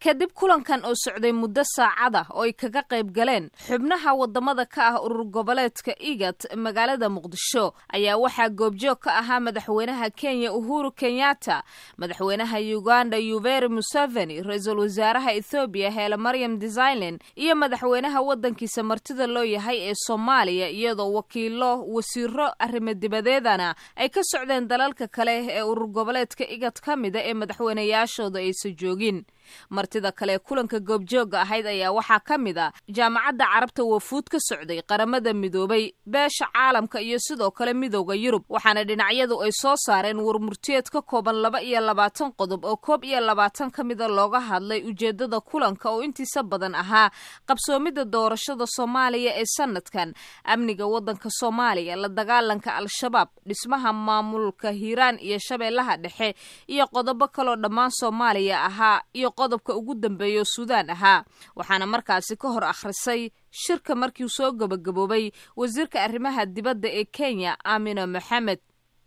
Kadib kulankan oo socday muddo saacada oo ay kaga qayb galeen xubnaha wadamada ka ah urur goboleedka IGAD magaalada Muqdisho, ayaa waxaa goobjoog ka ahaa madaxweynaha Kenya Uhuru Kenyatta, madaxweynaha Uganda Yoweri Museveni, ra-iisul wasaaraha Ethoobiya Haile Mariam Desalegn iyo madaxweynaha wadankiisa martida loo yahay ee Soomaaliya, iyadoo wakiilo wasiiro arrimo dibadeedana ay ka socdeen dalalka kale ee urur goboleedka IGAD ka mida ee madaxweynayaashooda aysa joogin. Martida kale kulanka goobjooga ahayd ayaa waxaa ka mid a Jaamacadda Carabta, wafuud ka socday Qaramada Midoobay, beesha caalamka iyo sidoo kale Midowda Yurub. Waxaana dhinacyadu ay soo saareen warmurtiyeed ka kooban 22 qodob oo 21 ka mida looga hadlay ujeedada kulanka oo intiisa badan ahaa qabsoomidda doorashada Soomaaliya ee sanadkan, amniga wadanka Soomaaliya, la dagaalanka Al-Shabaab, dhismaha maamulka Hiiraan iyo Shabeellaha Dhexe iyo qodobo kaloo dhammaan Soomaaliya ahaa iyo qodobka ugu dambeeya Suudaan ahaa. Waxaana markaasi ka hor akhrisay shirka markii soo gabagaboobay wasiirka arrimaha dibadda ee Kenya, Amina Moxamed.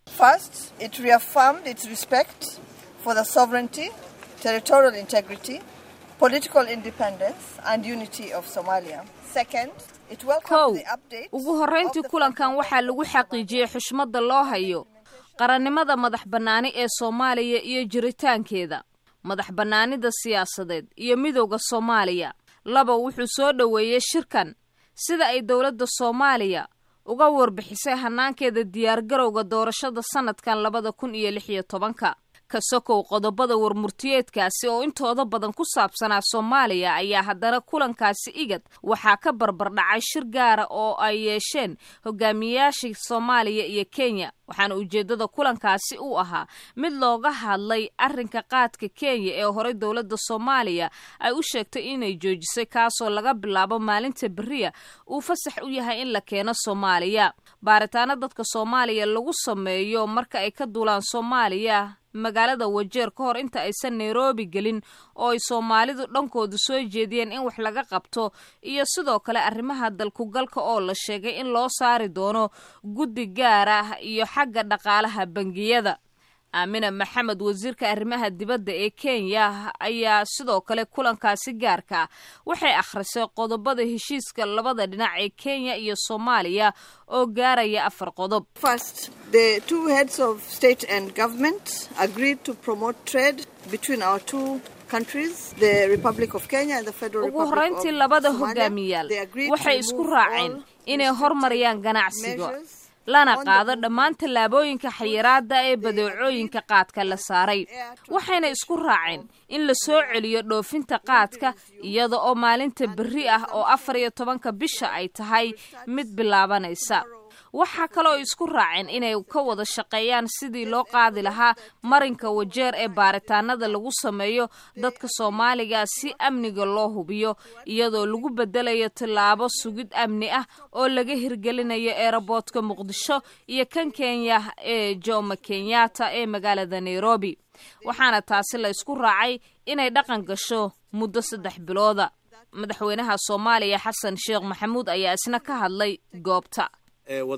First, it reaffirmed its respect for the sovereignty, territorial integrity, political independence and unity of Somalia. Second, it welcomed Kow, the update. Ugu horrayntii kulankan waxaa lagu xaqiijiyey xushmadda loo hayo qarannimada madax bannaani ee Soomaaliya iyo jiritaankeeda, madax bannaanida siyaasadeed iyo midowda Soomaaliya. Laba, wuxuu soo dhoweeyey shirkan sida ay dowladda Soomaaliya uga warbixisay hanaankeeda diyaargarowga doorashada sanadkan 2016-ka. Ka sokow qodobada warmurtiyeedkaasi oo intooda badan ku saabsanaa Soomaaliya, ayaa haddana kulankaasi IGAD waxaa ka barbardhacay shir gaara oo ay yeesheen hogaamiyayaasha Soomaaliya iyo Kenya. Waxaana ujeeddada kulankaasi u ahaa mid looga hadlay arrinka qaadka Kenya ee horey dowladda Soomaaliya ay u sheegtay inay joojisay, kaasoo laga bilaabo maalinta beriya uu fasax u yahay in la keeno Soomaaliya. Baaritaano dadka Soomaaliya lagu sameeyo marka ay ka duulaan Soomaaliya magaalada Wajeer ka hor inta aysan Nairobi gelin oo ay Soomaalidu dhankoodu soo jeediyeen in wax laga qabto, iyo sidoo kale arrimaha dalkugalka oo la sheegay in loo saari doono guddi gaar ah, iyo xagga dhaqaalaha bangiyada. Aamina Maxamed, wasiirka arrimaha dibadda ee Kenya, ayaa sidoo kale kulankaasi gaarka waxay akhrisay qodobada heshiiska labada dhinac ee Kenya iyo Soomaaliya oo gaaraya afar qodob. First, the two heads of state and government agreed to promote trade between our two countries, the Republic of Kenya and the Federal Ugu Republic horrayntii of labada Somalia. hogaamiyaal They agreed to waxay isku remove raaceen all inay hormariyaan ganacsiga measures lana on the qaado dhammaan tallaabooyinka xayiraada ee badeecooyinka qaadka la saaray. Waxayna isku raaceen in la soo celiyo dhoofinta qaadka, iyada oo maalinta berri ah oo 14-ka bisha ay tahay mid bilaabanaysa. Waxaa kaloo isku raaceen inay ka wada shaqeeyaan sidii loo qaadi lahaa marinka Wajeer ee baaritaanada lagu sameeyo dadka Soomaaliga si amniga loo hubiyo, iyadoo lagu bedelayo tallaabo sugid amni ah oo laga hirgelinayo eeraboodka Muqdisho iyo kan Kenya ee Jomo Kenyatta ee magaalada Nairobi. Waxaana taasi la isku raacay inay dhaqan gasho muddo 3 bilooda. Madaxweynaha Soomaaliya Xasan Sheekh Maxamuud ayaa isna ka hadlay goobta.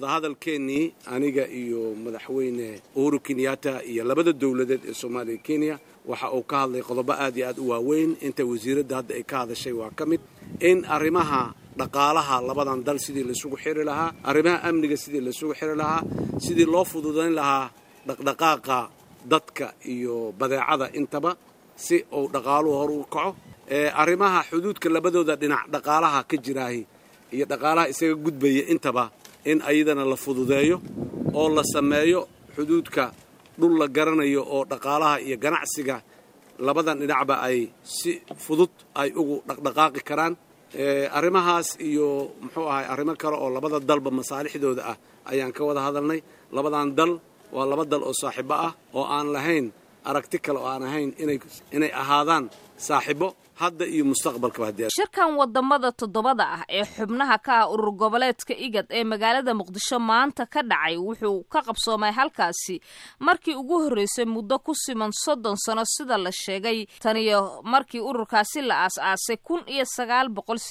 Wadahadalkeennii aniga iyo madaxweyne Uhuru Kenyatta iyo labada dowladeed ee Soomaaliya, Kenya, waxa uu ka hadlay qodobo aad iyo aad u waaweyn. Inta wasiiradda hadda ay ka hadashay waa ka mid in arrimaha dhaqaalaha labadan dal sidii laisugu xiri lahaa, arrimaha amniga sidii laisugu xiri lahaa, sidii loo fududayn lahaa dhaqdhaqaaqa dadka iyo badeecada intaba si uu dhaqaaluhu hor ugu kaco, arrimaha xuduudka labadooda dhinac dhaqaalaha ka jiraahi iyo dhaqaalaha isaga gudbaya intaba in ayadana la fududeeyo oo la sameeyo xuduudka dhul la garanayo oo dhaqaalaha iyo ganacsiga labadan dhinacba ay si fudud ay ugu dhaqdhaqaaqi karaan. Arrimahaas iyo muxuu ahay arrimo kale oo labada dalba masaalixdooda ah ayaan ka wada hadalnay. Labadan dal waa laba dal oo saaxiibo ah oo aan lahayn aragti kale oo aan ahayn inay ahaadaan saaxiibo hadda iyo mustaqbalkaba haddii. Shirkan wadamada toddobada ah ee xubnaha ka ah urur goboleedka IGAD ee magaalada Muqdisho maanta ka dhacay wuxuu ka qabsoomay halkaasi markii ugu horreysay muddo ku siman 30 sano, sida la sheegay, taniyo markii ururkaasi la aas-aasay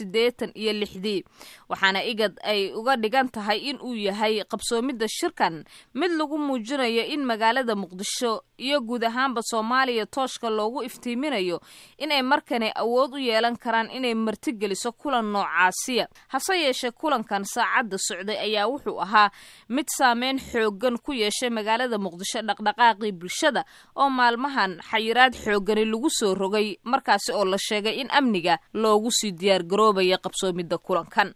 1986-dii. Waxaana IGAD ay uga dhigan tahay in uu yahay qabsoomidda shirkan mid lagu muujinayo in magaalada Muqdisho iyo guud ahaanba Soomaaliya tooshka loogu iftiiminayo inay markani awood u yeelan karaan inay martigeliso kulan noocaasiya. Hase yeeshee kulankan saacadda socday ayaa wuxuu ahaa mid saameyn xooggan ku yeeshay magaalada Muqdisho dhaqdhaqaaqii bulshada oo maalmahan xayiraad xooggani lagu soo rogay, markaasi oo la sheegay in amniga loogu sii diyaargaroobaya qabsoomidda kulankan.